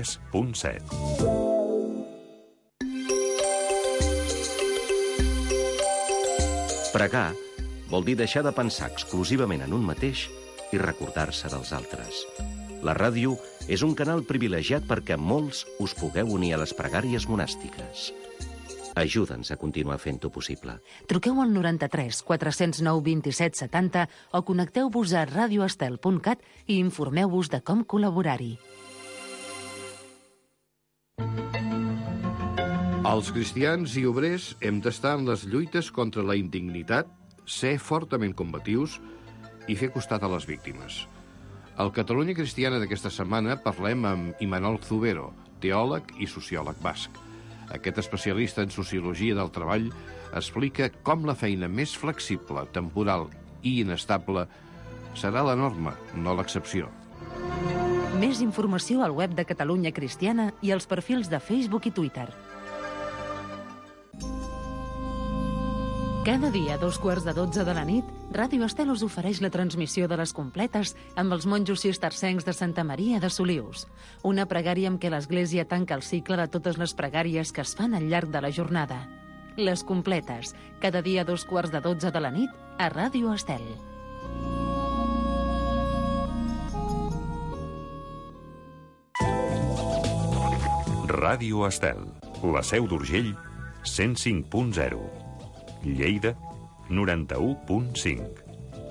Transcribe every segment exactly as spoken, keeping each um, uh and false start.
tres punt set. Pregar vol dir deixar de pensar exclusivament en un mateix i recordar-se dels altres. La ràdio és un canal privilegiat perquè molts us pugueu unir a les pregàries monàstiques. Ajuda'ns a continuar fent-ho possible. Truqueu al noranta-tres quatre cents nou vint-i-set setanta o connecteu-vos a radio estel punt cat i informeu-vos de com col·laborar-hi. Els cristians i obrers hem d'estar en les lluites contra la indignitat, ser fortament combatius i fer costat a les víctimes. Al Catalunya Cristiana d'aquesta setmana parlem amb Imanol Zubero, teòleg i sociòleg basc. Aquest especialista en sociologia del treball explica com la feina més flexible, temporal i inestable serà la norma, no l'excepció. Més informació al web de Catalunya Cristiana i als perfils de Facebook i Twitter. Cada dia, a dos quarts de dotze de la nit, Ràdio Estel us ofereix la transmissió de les completes amb els monjos cistercencs de Santa Maria de Solius. Una pregària amb què l'Església tanca el cicle de totes les pregàries que es fan al llarg de la jornada. Les completes, cada dia a dos quarts de dotze de la nit, a Ràdio Estel. Ràdio Estel, la Seu d'Urgell, cent cinc punt zero. Lleida, noranta-u punt cinc.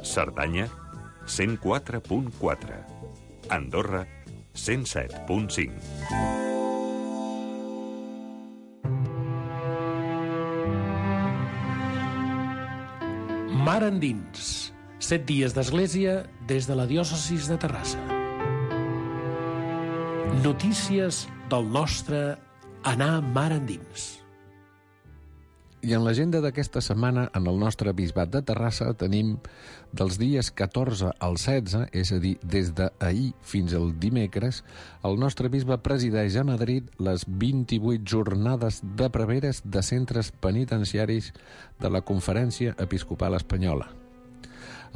Cerdanya, cent quatre punt quatre. Andorra, cent set punt cinc. Mar endins. Set dies d'església des de la diòcesis de Terrassa. Notícies del nostre anar mar endins. I en l'agenda d'aquesta setmana, en el nostre bisbat de Terrassa, tenim dels dies catorze al setze, és a dir, des d'ahir fins al dimecres, el nostre bisbe presideix a Madrid les vint-i-vuit jornades de preveres de centres penitenciaris de la Conferència Episcopal Espanyola.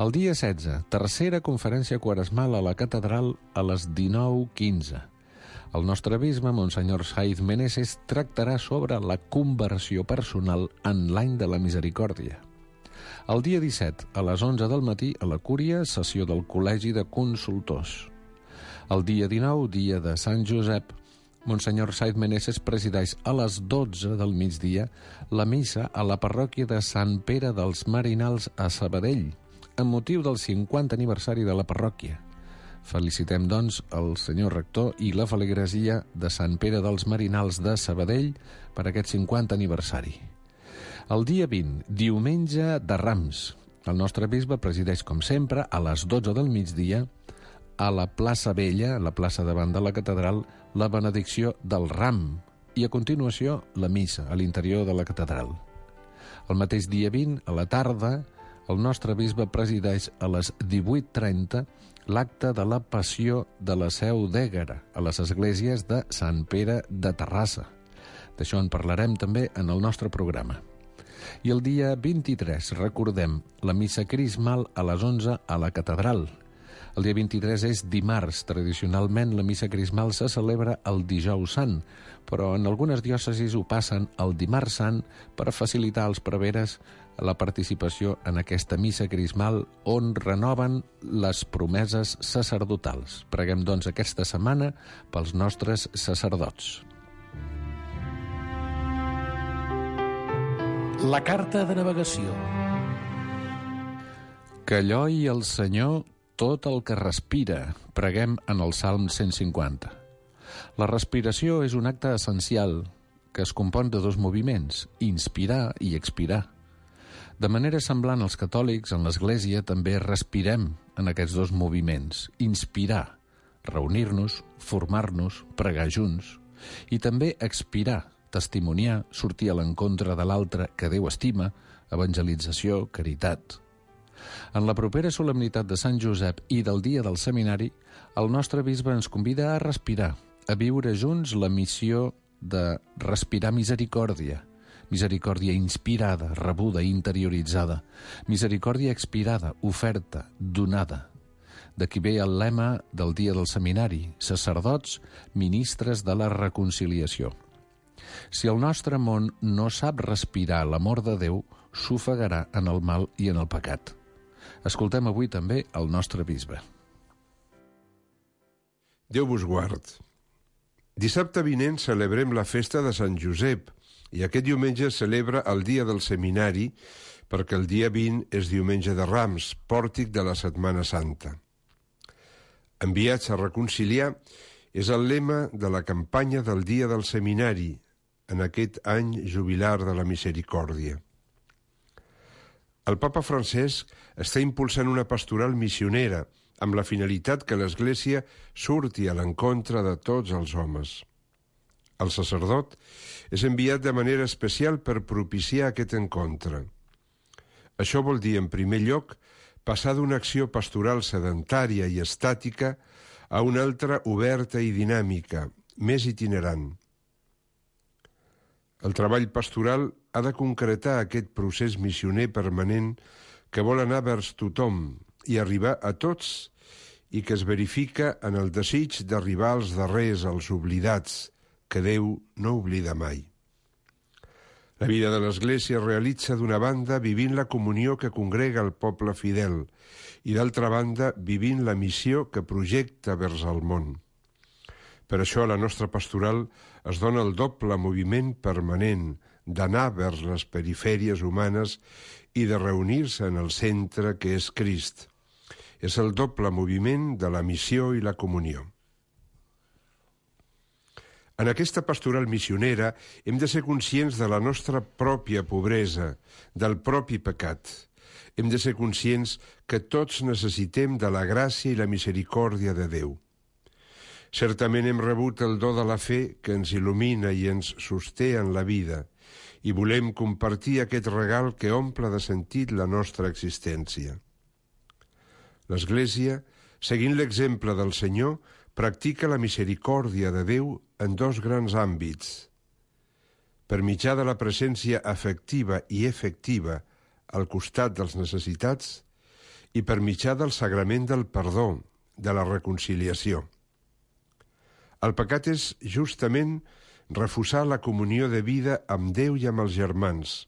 El dia setze, tercera conferència quaresmal a la catedral a les dinou quinze. El nostre bisbe, Monsenyor Saiz Meneses, tractarà sobre la conversió personal en l'any de la misericòrdia. El dia disset, a les onze del matí, a la Cúria, sessió del Col·legi de Consultors. El dia dinou, dia de Sant Josep, Monsenyor Saiz Meneses presideix a les dotze del migdia la missa a la parròquia de Sant Pere dels Marinals a Sabadell, amb motiu del cinquantè aniversari de la parròquia. Felicitem, doncs, el senyor rector i la feligresia de Sant Pere dels Marinals de Sabadell per aquest cinquantè aniversari. El dia vint, diumenge de Rams. El nostre bisbe presideix, com sempre, a les dotze del migdia, a la plaça Vella, a la plaça davant de la catedral, la benedicció del Ram i, a continuació, la missa a l'interior de la catedral. El mateix dia vint, a la tarda, el nostre bisbe presideix a les divuit trenta l'acte de la passió de la Seu d'Ègara a les esglésies de Sant Pere de Terrassa. D'això en parlarem també en el nostre programa. I el dia vint-i-tres, recordem, la missa crismal a les onze a la catedral. El dia vint-i-tres és dimarts. Tradicionalment, la missa crismal se celebra el dijous sant, però en algunes diòcesis ho passen el dimarts sant per facilitar als preveres la participació en aquesta missa crismal on renoven les promeses sacerdotals. Preguem, doncs, aquesta setmana pels nostres sacerdots. La carta de navegació. Que lloi el Senyor tot el que respira. Preguem en el Salm cent cinquanta. La respiració és un acte essencial que es compon de dos moviments, inspirar i expirar. De manera semblant als catòlics, en l'Església també respirem en aquests dos moviments. Inspirar, reunir-nos, formar-nos, pregar junts. I també expirar, testimoniar, sortir a l'encontre de l'altre que Déu estima, evangelització, caritat. En la propera solemnitat de Sant Josep i del dia del seminari, el nostre bisbe ens convida a respirar, a viure junts la missió de respirar misericòrdia, misericòrdia inspirada, rebuda, interioritzada, misericòrdia expirada, oferta, donada. D'aquí ve el lema del dia del seminari: sacerdots, ministres de la reconciliació. Si el nostre món no sap respirar l'amor de Déu, s'ofegarà en el mal i en el pecat. Escoltem avui també el nostre bisbe. Déu vos guard. Dissabte vinent celebrem la festa de Sant Josep i aquest diumenge celebra el dia del seminari perquè el dia vint és diumenge de Rams, pòrtic de la Setmana Santa. Enviats a reconciliar és el lema de la campanya del dia del seminari en aquest any jubilar de la misericòrdia. El papa Francesc està impulsant una pastoral missionera amb la finalitat que l'Església surti a l'encontre de tots els homes. El sacerdot és enviat de manera especial per propiciar aquest encontre. Això vol dir, en primer lloc, passar d'una acció pastoral sedentària i estàtica a una altra oberta i dinàmica, més itinerant. El treball pastoral ha de concretar aquest procés missioner permanent que vol anar vers tothom i arribar a tots i que es verifica en el desig d'arribar als darrers, als oblidats, que Déu no oblida mai. La vida de l'Església es realitza d'una banda vivint la comunió que congrega el poble fidel i d'altra banda vivint la missió que projecta vers el món. Per això a la nostra pastoral es dona el doble moviment permanent d'anar vers les perifèries humanes i de reunir-se en el centre que és Crist. És el doble moviment de la missió i la comunió. En aquesta pastoral missionera hem de ser conscients de la nostra pròpia pobresa, del propi pecat. Hem de ser conscients que tots necessitem de la gràcia i la misericòrdia de Déu. Certament hem rebut el do de la fe que ens il·lumina i ens sosté en la vida i volem compartir aquest regal que omple de sentit la nostra existència. L'Església, seguint l'exemple del Senyor, practica la misericòrdia de Déu en dos grans àmbits. Per mitjà de la presència afectiva i efectiva al costat dels necessitats i per mitjà del sagrament del perdó, de la reconciliació. El pecat és justament refusar la comunió de vida amb Déu i amb els germans.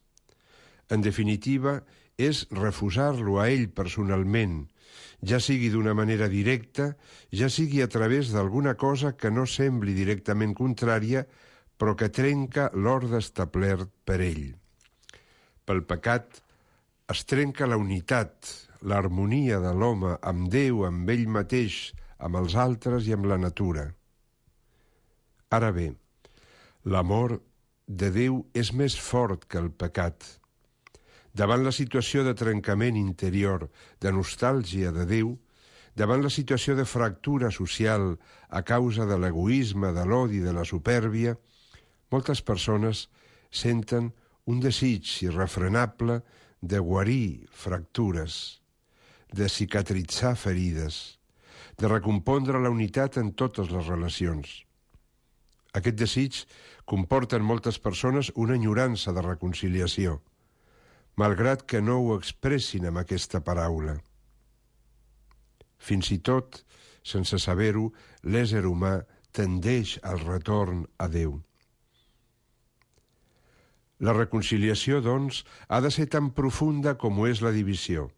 En definitiva, és refusar-lo a ell personalment, ja sigui d'una manera directa, ja sigui a través d'alguna cosa que no sembli directament contrària, però que trenca l'ordre establert per ell. Pel pecat es trenca la unitat, l'harmonia de l'home amb Déu, amb ell mateix, amb els altres i amb la natura. Ara bé, l'amor de Déu és més fort que el pecat. Davant la situació de trencament interior, de nostàlgia de Déu, davant la situació de fractura social a causa de l'egoisme, de l'odi, de la supèrbia, moltes persones senten un desig irrefrenable de guarir fractures, de cicatritzar ferides, de recompondre la unitat en totes les relacions. Aquest desig comporta en moltes persones una enyorança de reconciliació, malgrat que no ho expressin amb aquesta paraula. Fins i tot, sense saber-ho, l'ésser humà tendeix al retorn a Déu. La reconciliació, doncs, ha de ser tan profunda com ho és la divisió.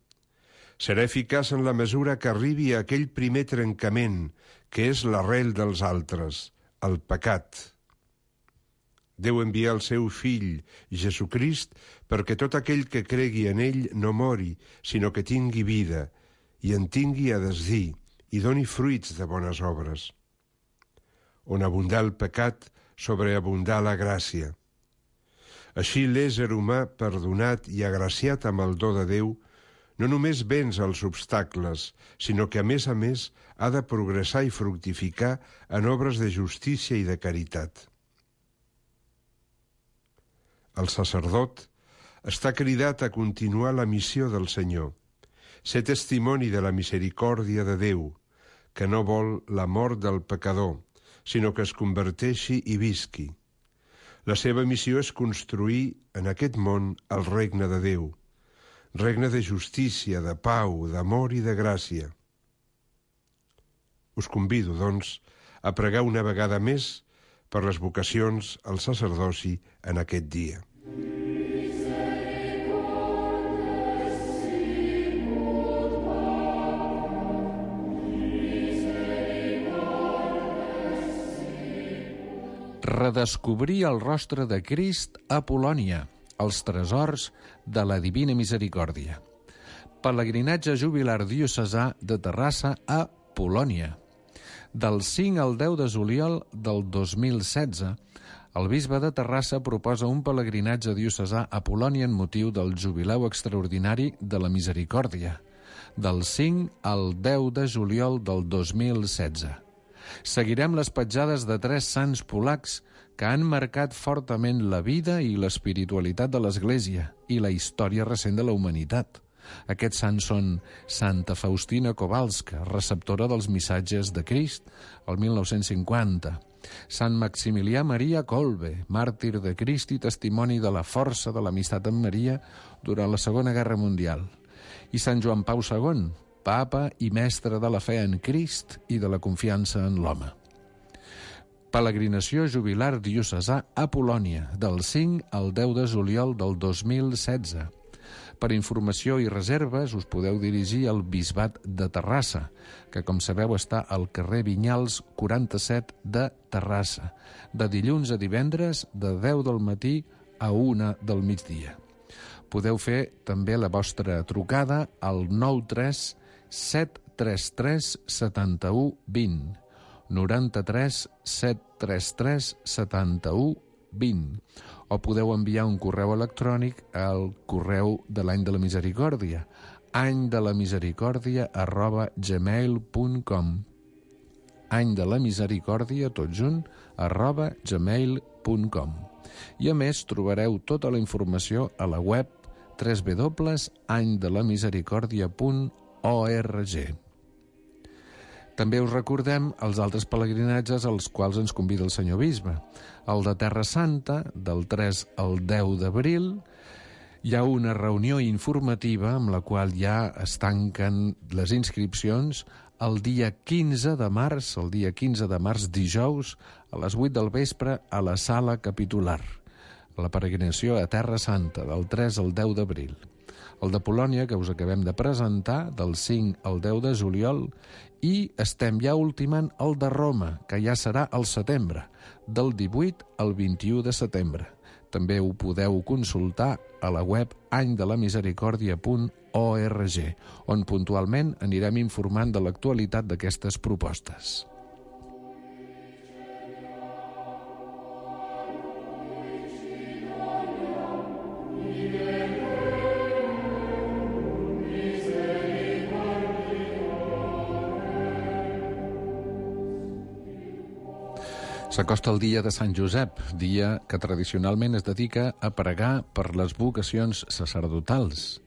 Serà eficaç en la mesura que arribi a aquell primer trencament, que és l'arrel dels altres, el pecat. Déu envia el seu fill, Jesucrist, perquè tot aquell que cregui en ell no mori, sinó que tingui vida, i en tingui a desdir, i doni fruits de bones obres. On abundà el pecat, sobreabundà la gràcia. Així l'ésser humà, perdonat i agraciat amb el do de Déu, no només venç els obstacles, sinó que, a més a més, ha de progressar i fructificar en obres de justícia i de caritat. El sacerdot està cridat a continuar la missió del Senyor, ser testimoni de la misericòrdia de Déu, que no vol la mort del pecador, sinó que es converteixi i visqui. La seva missió és construir en aquest món el regne de Déu, regne de justícia, de pau, d'amor i de gràcia. Us convido, doncs, a pregar una vegada més per les vocacions al sacerdoci en aquest dia. Redescobrir el rostre de Crist a Polònia, els tresors de la Divina Misericòrdia. Pelegrinatge jubilar diocesà de Terrassa a Polònia. Del cinc al deu de juliol del dos mil setze, el bisbe de Terrassa proposa un pelegrinatge diocesà a Polònia en motiu del jubileu extraordinari de la Misericòrdia, del cinc al deu de juliol del dos mil setze. Seguirem les petjades de tres sants polacs que han marcat fortament la vida i l'espiritualitat de l'Església i la història recent de la humanitat. Aquests sants són Santa Faustina Kowalska, receptora dels missatges de Crist, el mil nou-cents cinquanta, Sant Maximilià Maria Kolbe, màrtir de Crist i testimoni de la força de l'amistat amb Maria durant la Segona Guerra Mundial, i Sant Joan Pau segon, papa i mestre de la fe en Crist i de la confiança en l'home. Peregrinació jubilar diocesà a Polònia, del cinc al deu de juliol del dos mil setze. Per informació i reserves us podeu dirigir al Bisbat de Terrassa, que, com sabeu, està al carrer Vinyals quaranta-set de Terrassa, de dilluns a divendres de deu del matí a una del migdia. Podeu fer també la vostra trucada al nou tres set tres tres setanta-u vint, noranta-tres set tres tres setanta-u vint, o podeu enviar un correu electrònic al correu de l'Any de la Misericòrdia, any de la misericòrdia arroba gmail punt com, any de la misericòrdia, tot junt, arroba gmail punt com. I a més trobareu tota la informació a la web w w w punt any de la misericòrdia punt org. També us recordem els altres pelegrinatges als quals ens convida el senyor bisbe. El de Terra Santa, del tres al deu d'abril, hi ha una reunió informativa amb la qual ja es tanquen les inscripcions el dia quinze de març, el dia quinze de març, dijous, a les vuit del vespre, a la sala capitular. La peregrinació a Terra Santa, del tres al deu d'abril. El de Polònia, que us acabem de presentar, del cinc al deu de juliol, i estem ja ultimant el de Roma, que ja serà al setembre, del divuit al vint-i-u de setembre. També ho podeu consultar a la web any de la misericòrdia punt org, on puntualment anirem informant de l'actualitat d'aquestes propostes. S'acosta el dia de Sant Josep, dia que tradicionalment es dedica a pregar per les vocacions sacerdotals.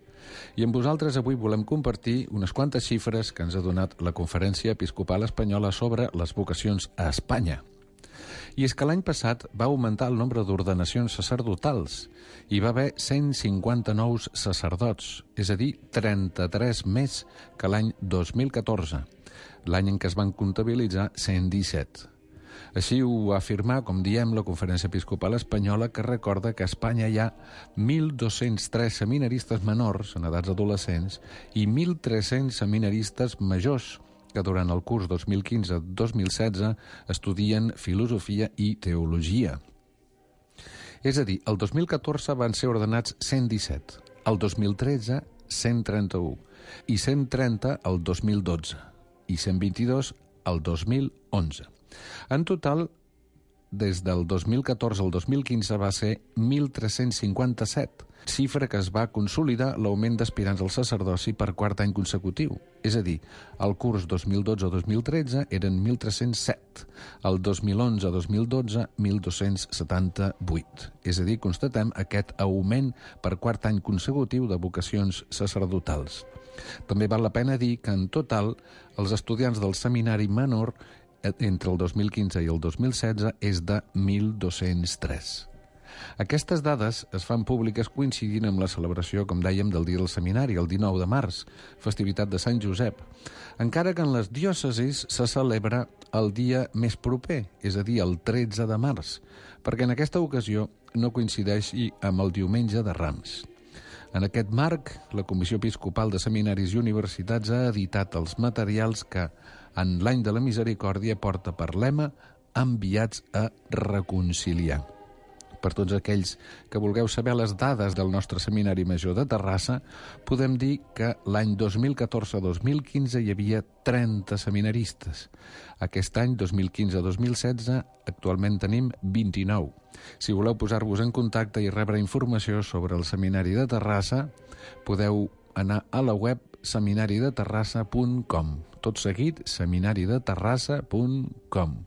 I amb vosaltres avui volem compartir unes quantes xifres que ens ha donat la Conferència Episcopal Espanyola sobre les vocacions a Espanya. I és que l'any passat va augmentar el nombre d'ordenacions sacerdotals. Hi va haver cent cinquanta nous sacerdots, és a dir, trenta-tres més que l'any dos mil catorze, l'any en què es van comptabilitzar cent disset. Així ho va afirmar, com diem, la Conferència Episcopal Espanyola, que recorda que a Espanya hi ha mil dos-cents tres seminaristes menors, en edats adolescents, i mil tres-cents seminaristes majors, que durant el curs dos mil quinze dos mil setze estudien filosofia i teologia. És a dir, el dos mil catorze van ser ordenats cent disset, el dos mil tretze cent trenta-u, i cent trenta el dos mil dotze, i cent vint-i-dos el dos mil onze. En total, des del dos mil catorze al dos mil quinze va ser mil tres-cents cinquanta-set, xifra que es va consolidar l'augment d'aspirants al sacerdoci per quart any consecutiu. És a dir, el curs dos mil dotze dos mil tretze eren mil tres-cents set, el dos mil onze dos mil dotze mil dos-cents setanta-vuit. És a dir, constatem aquest augment per quart any consecutiu de vocacions sacerdotals. També val la pena dir que en total els estudiants del seminari menor entre el dos mil quinze i el dos mil setze és de mil dos-cents tres. Aquestes dades es fan públiques coincidint amb la celebració, com dèiem, del Dia del Seminari, el dinou de març, festivitat de Sant Josep, encara que en les diòcesis se celebra el dia més proper, és a dir, el tretze de març, perquè en aquesta ocasió no coincideixi amb el diumenge de Rams. En aquest marc, la Comissió Episcopal de Seminaris i Universitats ha editat els materials que, en l'any de la misericòrdia, porta per lema enviats a reconciliar. Per tots aquells que vulgueu saber les dades del nostre Seminari Major de Terrassa, podem dir que l'any dos mil catorze dos mil quinze hi havia trenta seminaristes. Aquest any, dos mil quinze dos mil setze, actualment tenim vint-i-nou. Si voleu posar-vos en contacte i rebre informació sobre el Seminari de Terrassa, podeu anar a la web seminari de terrassa punt com. Tot seguit, seminari de terrassa punt com.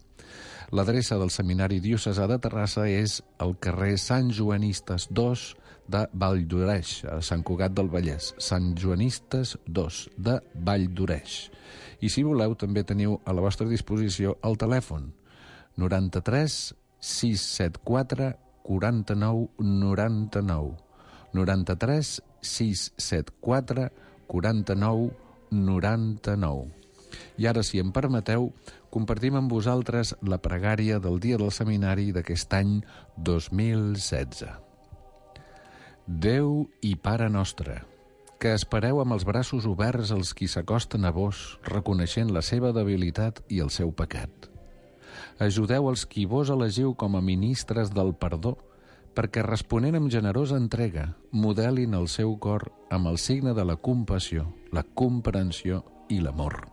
L'adreça del Seminari Diocesà de Terrassa és al carrer Sant Joanistes dos de Valldoreix, a Sant Cugat del Vallès. Sant Joanistes dos de Valldoreix. I si voleu, també teniu a la vostra disposició el telèfon noranta-tres sis set quatre quaranta-nou noranta-nou. noranta-tres sis set quatre quaranta-nou noranta-nou. I ara, si em permeteu, compartim amb vosaltres la pregària del Dia del Seminari d'aquest any dos mil setze. Déu i Pare nostre, que espereu amb els braços oberts els qui s'acosten a vos, reconeixent la seva debilitat i el seu pecat. Ajudeu els qui vos elegiu com a ministres del perdó, perquè responent amb generosa entrega, modelin el seu cor amb el signe de la compassió, la comprensió i l'amor.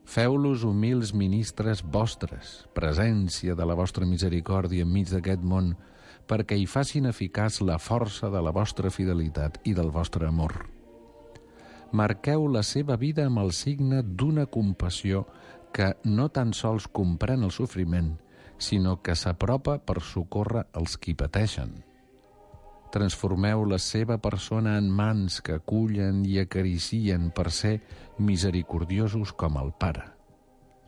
Feu-los humils ministres vostres, presència de la vostra misericòrdia enmig d'aquest món, perquè hi facin eficaç la força de la vostra fidelitat i del vostre amor. Marqueu la seva vida amb el signe d'una compassió que no tan sols comprèn el sofriment, sinó que s'apropa per socórrer els qui pateixen. Transformeu la seva persona en mans que acullen i acaricien per ser misericordiosos com el Pare.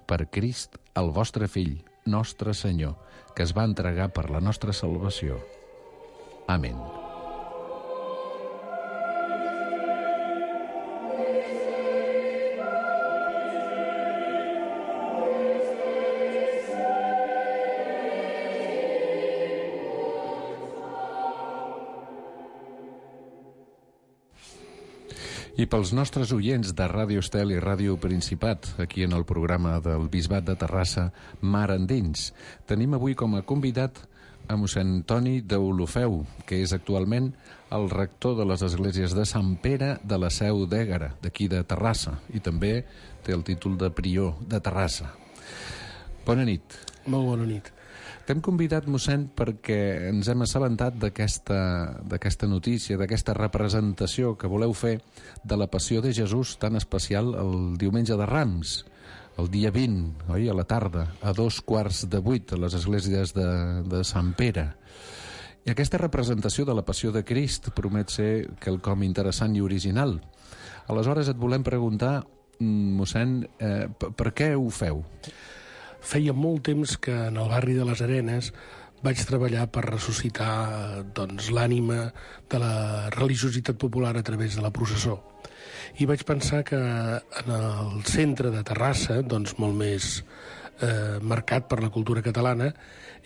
Per Crist, el vostre Fill, nostre Senyor, que es va entregar per la nostra salvació. Amén. I pels nostres oients de Ràdio Estel i Ràdio Principat, aquí en el programa del Bisbat de Terrassa, Mar Endins, tenim avui com a convidat a mossèn Toni d'Olofeu, que és actualment el rector de les esglésies de Sant Pere de la Seu d'Ègara, d'aquí de Terrassa, i també té el títol de prior de Terrassa. Bona nit. Molt bona nit. T'hem convidat, mossèn, perquè ens hem assabentat d'aquesta d'aquesta notícia, d'aquesta representació que voleu fer de la Passió de Jesús tan especial el diumenge de Rams, el dia vint, oi, a la tarda, a dos quarts de vuit, a les esglésies de, de Sant Pere. I aquesta representació de la Passió de Crist promet ser quelcom interessant i original. Aleshores et volem preguntar, mossèn, eh, per què ho feu? Feia molt temps que en el barri de les Arenes vaig treballar per ressuscitar doncs, l'ànima de la religiositat popular a través de la processó. I vaig pensar que en el centre de Terrassa, doncs molt més eh, marcat per la cultura catalana,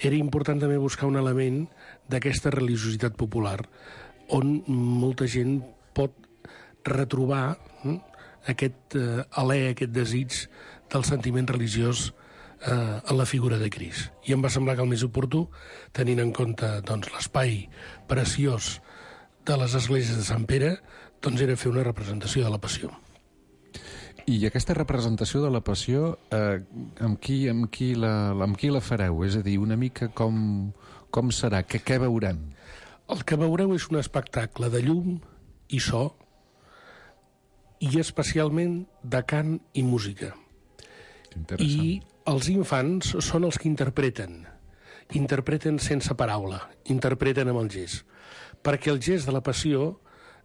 era important també buscar un element d'aquesta religiositat popular, on molta gent pot retrobar hm, aquest eh, alè, aquest desig del sentiment religiós eh, en la figura de Crist. I em va semblar que el més oportú, tenint en compte doncs, l'espai preciós de les esglésies de Sant Pere, doncs era fer una representació de la Passió. I aquesta representació de la Passió, eh, amb, qui, amb, qui la, amb qui la fareu? És a dir, una mica com, com serà? Què, què veurem? El que veureu és un espectacle de llum i so, i especialment de cant i música. I els infants són els que interpreten. Interpreten sense paraula, interpreten amb el gest. Perquè el gest de la Passió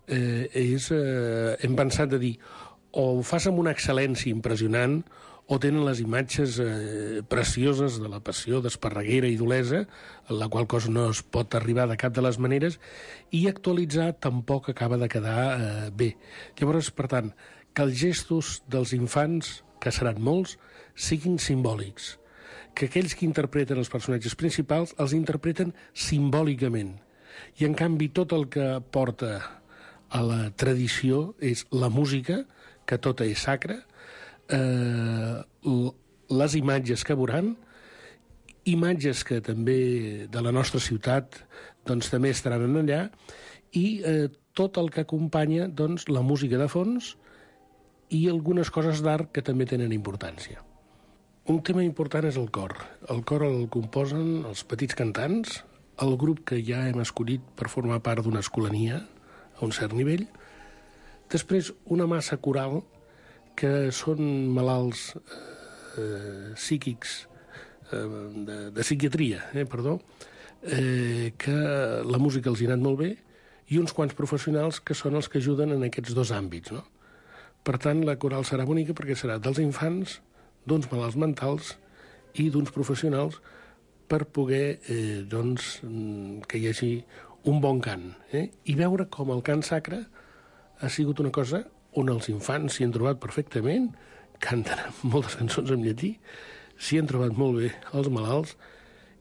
eh, és, eh, hem pensat de dir, o ho fas amb una excel·lència impressionant o tenen les imatges eh, precioses de la passió d'Esparreguera i d'Olesa, la qual cosa no es pot arribar de cap de les maneres, i actualitzar tampoc acaba de quedar eh, bé. Llavors, per tant, que els gestos dels infants, que seran molts, siguin simbòlics, que aquells que interpreten els personatges principals els interpreten simbòlicament, i en canvi tot el que porta a la tradició és la música, que tota és sacra, eh, les imatges que veuran, imatges que també de la nostra ciutat doncs, també estaran allà, i eh, tot el que acompanya doncs, la música de fons i algunes coses d'art que també tenen importància. Un tema important és el cor. El cor el composen els petits cantants, el grup que ja hem escollit per formar part d'una escolania a un cert nivell, després una massa coral que són malalts eh, psíquics, eh, de, de psiquiatria, eh, perdó, eh, que la música els ha anat molt bé, i uns quants professionals que són els que ajuden en aquests dos àmbits, no? Per tant, la coral serà bonica perquè serà dels infants, d'uns malalts mentals i d'uns professionals per poder, eh, doncs, que hi hagi un bon cant, eh? I veure com el cant sacre ha sigut una cosa on els infants s'hi han trobat perfectament, canten moltes cançons en llatí, s'hi han trobat molt bé els malalts,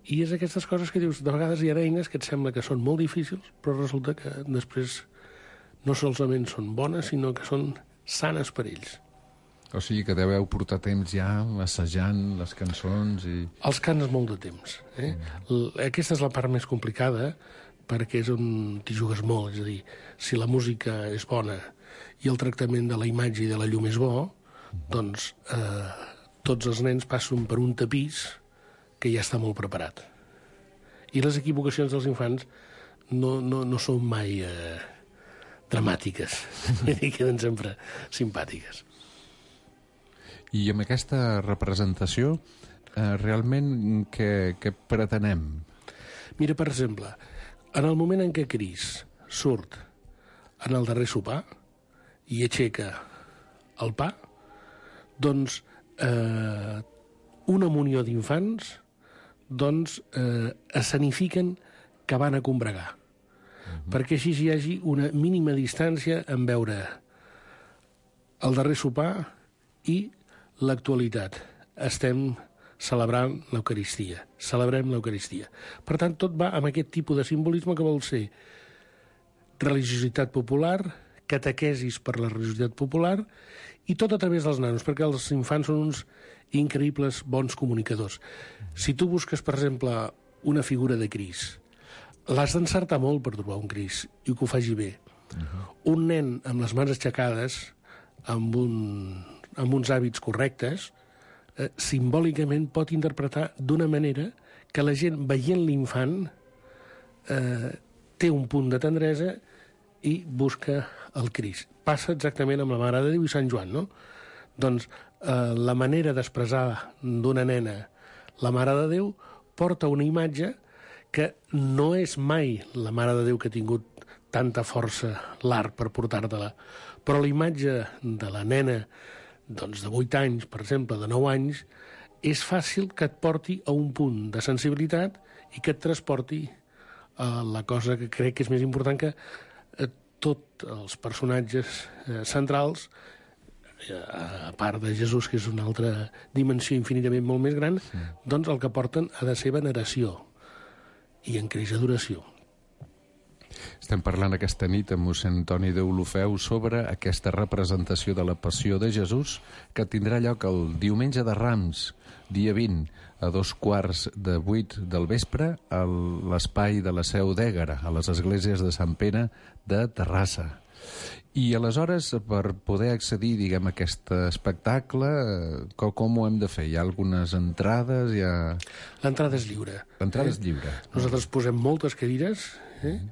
i és aquestes coses que dius, de vegades hi ha eines que et sembla que són molt difícils, però resulta que després no solament són bones, sinó que són sanes per ells. O sigui que deveu portar temps ja assajant les cançons i... Els cants molt de temps. Eh? Mm. Aquesta és la part més complicada, perquè és on t'hi jugues molt. És a dir, si la música és bona i el tractament de la imatge i de la llum és bo, mm. doncs eh, tots els nens passen per un tapís que ja està molt preparat. I les equivocacions dels infants no, no, no són mai eh, dramàtiques, i queden sempre simpàtiques. I amb aquesta representació, eh, realment, què, què pretenem? Mira, per exemple, en el moment en què Crist surt en el darrer sopar i aixeca el pa, doncs eh, una munió d'infants doncs, eh, escenifiquen que van a combregar, uh-huh. perquè així hi hagi una mínima distància en veure el darrer sopar i l'actualitat. Estem celebrant l'Eucaristia. Celebrem l'Eucaristia. Per tant, tot va amb aquest tipus de simbolisme que vol ser religiositat popular, catequesis per la religiositat popular, i tot a través dels nanos, perquè els infants són uns increïbles bons comunicadors. Si tu busques, per exemple, una figura de Crist, l'has d'encertar molt per trobar un Crist, i que ho faci bé. Uh-huh. Un nen amb les mans aixecades, amb un... amb uns hàbits correctes, eh, simbòlicament pot interpretar d'una manera que la gent, veient l'infant, eh, té un punt de tendresa i busca el Crist. Passa exactament amb la Mare de Déu i Sant Joan, no? Doncs eh, la manera d'expressar d'una nena la Mare de Déu porta una imatge que no és mai la Mare de Déu que ha tingut tanta força l'art per portar-te-la, però la imatge de la nena doncs de vuit anys, per exemple, de nou anys, és fàcil que et porti a un punt de sensibilitat i que et transporti a la cosa que crec que és més important, que eh, tots els personatges eh, centrals, eh, a part de Jesús, que és una altra dimensió infinitament molt més gran, sí. doncs el que porten ha de ser veneració i en creix adoració. Estem parlant aquesta nit amb mossèn Antoni Deulofeu sobre aquesta representació de la Passió de Jesús que tindrà lloc el diumenge de Rams, dia vint, a dos quarts de vuit del vespre, a l'espai de la Seu d'Ègara, a les esglésies de Sant Pere de Terrassa. I aleshores, per poder accedir, diguem, a aquest espectacle, com, com ho hem de fer? Hi ha algunes entrades? Hi ha... L'entrada és lliure. L'entrada eh? és lliure. Nosaltres posem moltes cadires, eh? Mm.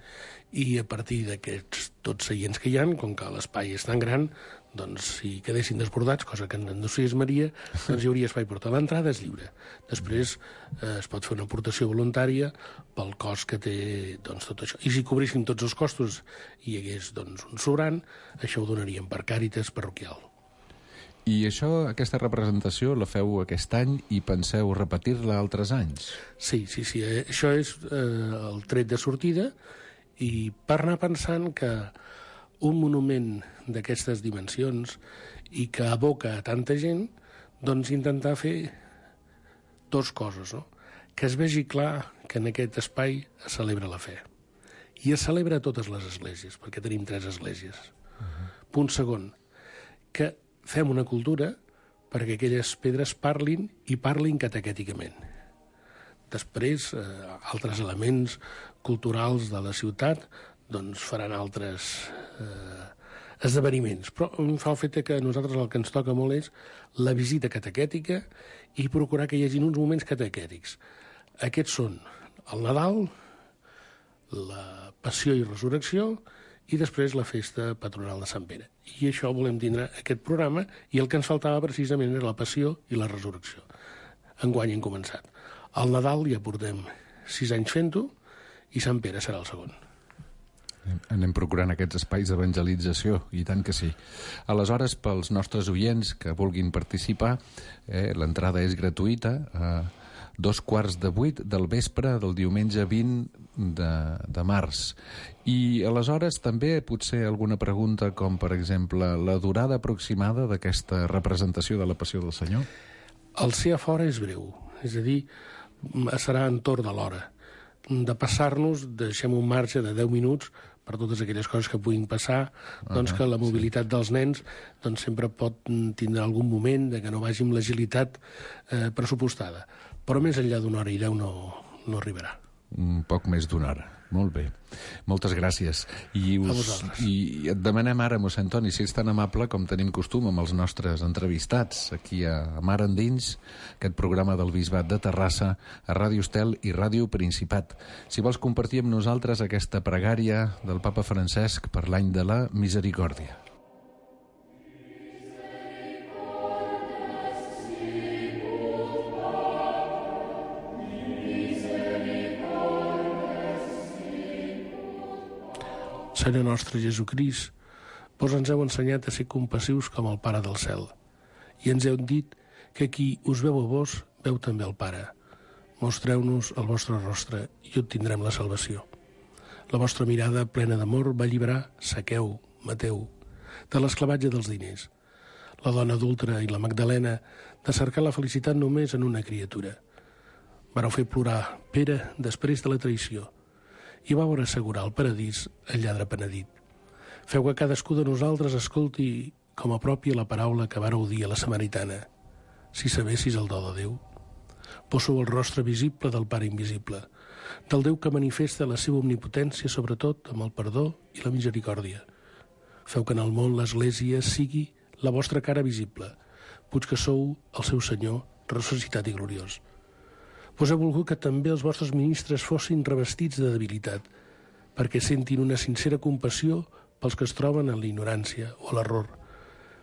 I a partir d'aquests tots seients que hi ha, com que l'espai és tan gran, doncs si quedessin desbordats, cosa que no és Maria, doncs hi hauria espai per tot. L'entrada és lliure. Després eh, es pot fer una aportació voluntària pel cost que té doncs, tot això. I si cobrissin tots els costos i hi hagués doncs, un sobrant, això ho donaríem per Càritas parroquial. I això, aquesta representació la feu aquest any i penseu repetir-la altres anys? Sí, sí, sí. Eh, això és eh, el tret de sortida, i per anar pensant que un monument d'aquestes dimensions i que aboca a tanta gent, doncs intentar fer dues coses, no? Que es vegi clar que en aquest espai es celebra la fe. I es celebra a totes les esglésies, perquè tenim tres esglésies. Uh-huh. Punt segon, que fem una cultura perquè aquelles pedres parlin i parlin catequèticament. Després, eh, altres elements culturals de la ciutat doncs faran altres eh, esdeveniments. Però em fa el fet que a nosaltres el que ens toca molt és la visita catequètica i procurar que hi hagi uns moments catequètics. Aquests són el Nadal, la Passió i Resurrecció i després la festa patronal de Sant Pere. I això volem tindre aquest programa, i el que ens faltava precisament era la Passió i la Resurrecció. Enguany hem començat. Al Nadal ja portem sis anys fent-ho i Sant Pere serà el segon. Anem procurant aquests espais d'evangelització, i tant que sí. Aleshores, pels nostres oients que vulguin participar, eh, l'entrada és gratuïta, a dos quarts de vuit del vespre del diumenge vint de, de març. I aleshores també potser alguna pregunta com, per exemple, la durada aproximada d'aquesta representació de la Passió del Senyor? El ser a fora és breu, és a dir, serà entorn de l'hora. De passar-nos, deixem un marge de deu minuts per totes aquelles coses que puguin passar, doncs uh-huh, que la mobilitat sí. dels nens doncs sempre pot tindre algun moment de que no vagi amb l'agilitat eh, pressupostada. Però més enllà d'una hora i deu no, no arribarà. Un poc més d'una hora. Molt bé. Moltes gràcies. I, us, I et demanem ara, mossèn Toni, si ets tan amable com tenim costum amb els nostres entrevistats aquí a Mar Endins, aquest programa del Bisbat de Terrassa, a Ràdio Estel i Ràdio Principat. Si vols compartir amb nosaltres aquesta pregària del papa Francesc per l'any de la misericòrdia. Senyor nostre Jesucrist, vos ens heu ensenyat a ser compassius com el Pare del cel, i ens heu dit que qui us veu a vos, veu també el Pare. Mostreu-nos el vostre rostre i obtindrem la salvació. La vostra mirada plena d'amor va alliberar Saqueu, Mateu, de l'esclavatge dels diners, la dona adulta i la Magdalena de cercar la felicitat només en una criatura. Vareu fer plorar Pere després de la traïció, i vau assegurar al paradís el lladre penedit. Feu que cadascú de nosaltres escolti com a pròpia la paraula que vareu dir a la samaritana. Si sabessis el do de Déu. Vos sou el rostre visible del Pare invisible, del Déu que manifesta la seva omnipotència, sobretot amb el perdó i la misericòrdia. Feu que en el món l'Església sigui la vostra cara visible, puig que sou el seu Senyor, ressuscitat i gloriós. Vos heu volgut que també els vostres ministres fossin revestits de debilitat, perquè sentin una sincera compassió pels que es troben en la ignorància o l'error.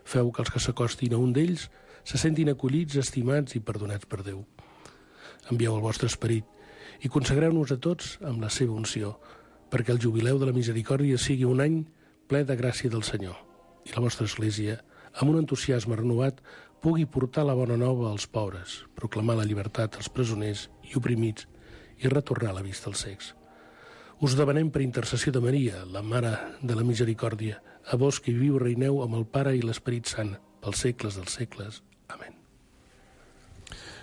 Feu que els que s'acostin a un d'ells se sentin acollits, estimats i perdonats per Déu. Envieu el vostre esperit i consagreu-nos a tots amb la seva unció, perquè el jubileu de la misericòrdia sigui un any ple de gràcia del Senyor, i la vostra Església, amb un entusiasme renovat, pugui portar la bona nova als pobres, proclamar la llibertat als presoners i oprimits i retornar la vista als cecs. Us demanem per intercessió de Maria, la Mare de la Misericòrdia, a vos que viviu i reineu amb el Pare i l'Esperit Sant, pels segles dels segles. Amén.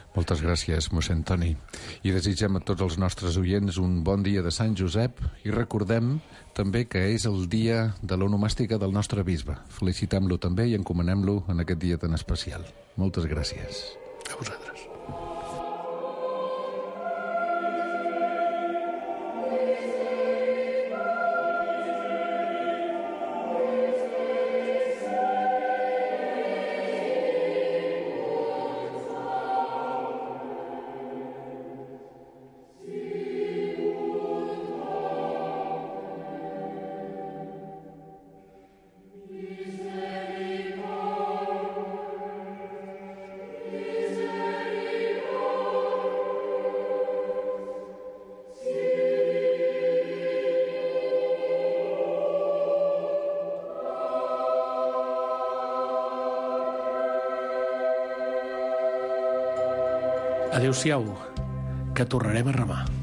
Moltes gràcies, mossèn Toni. I desitgem a tots els nostres oients un bon dia de Sant Josep i recordem també que és el dia de l'onomàstica del nostre bisbe. Felicitem-lo també i encomanem-lo en aquest dia tan especial. Moltes gràcies. A vosaltres. Misericórdia, Adéu-siau, que tornarem a remar.